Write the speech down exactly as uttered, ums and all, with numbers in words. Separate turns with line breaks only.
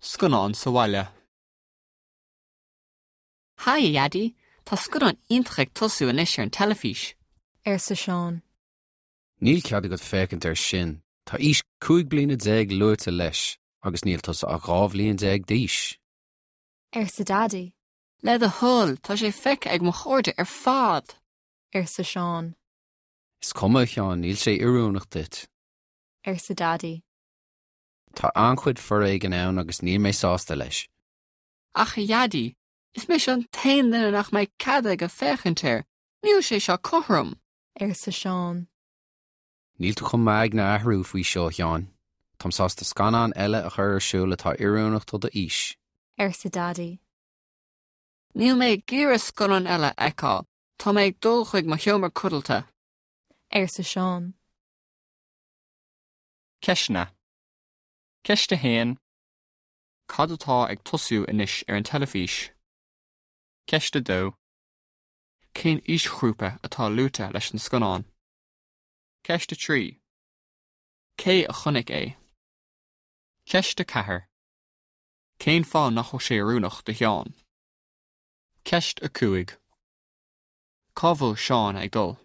Scannán sa bhaile.
Haigh a Dhaidí, Tá scannán iontach ag tosú anois ar an teilifís.
arsa Seán.
Níl cead agat féachaint air sin, Tá aois cúig bliana déag luaite leis, agus níl tusa ach dhá bhliain déag d'aois.
arsa Daidí,
Le do thoil tá sé feicthe ag mo chairde ar fad.
arsa Seán,
Is cuma a Sheáin níl sé oiriúnach duit.
arsa Daidí.
Tá an-chuid foréigin ann agus níl mé sásta leis.
Ach a Dhaidí, is mise an t-aon duine nach mbeidh cead aige féachaint air, Níl sé seo cothrom.
arsa Seán.
Níl tú chun m'aigne a athrú faoi seo a Sheáin. Táim sásta scannán eile a chur ar siúl atá oiriúnach do d'aois.
arsa Daidí.
Níl mé ag iarraidh scannán eile a fheiceáil, Tá mé ag dul chuig mo sheomra codlata.
arsa Seán.
Ceisteanna. Ceist a haon. Cad atá ag tosú anois ar an teilifís? Ceist a dó.
Cén aoisghrúpa atá luaite leis an scannán?
Ceist a trí.
Cé a chonaic é?
Ceist a ceathair. Cén fáth nach bhfuil sé oiriúnach do Sheán? Ceist a cúig. Cá bhfuil Seán ag dul?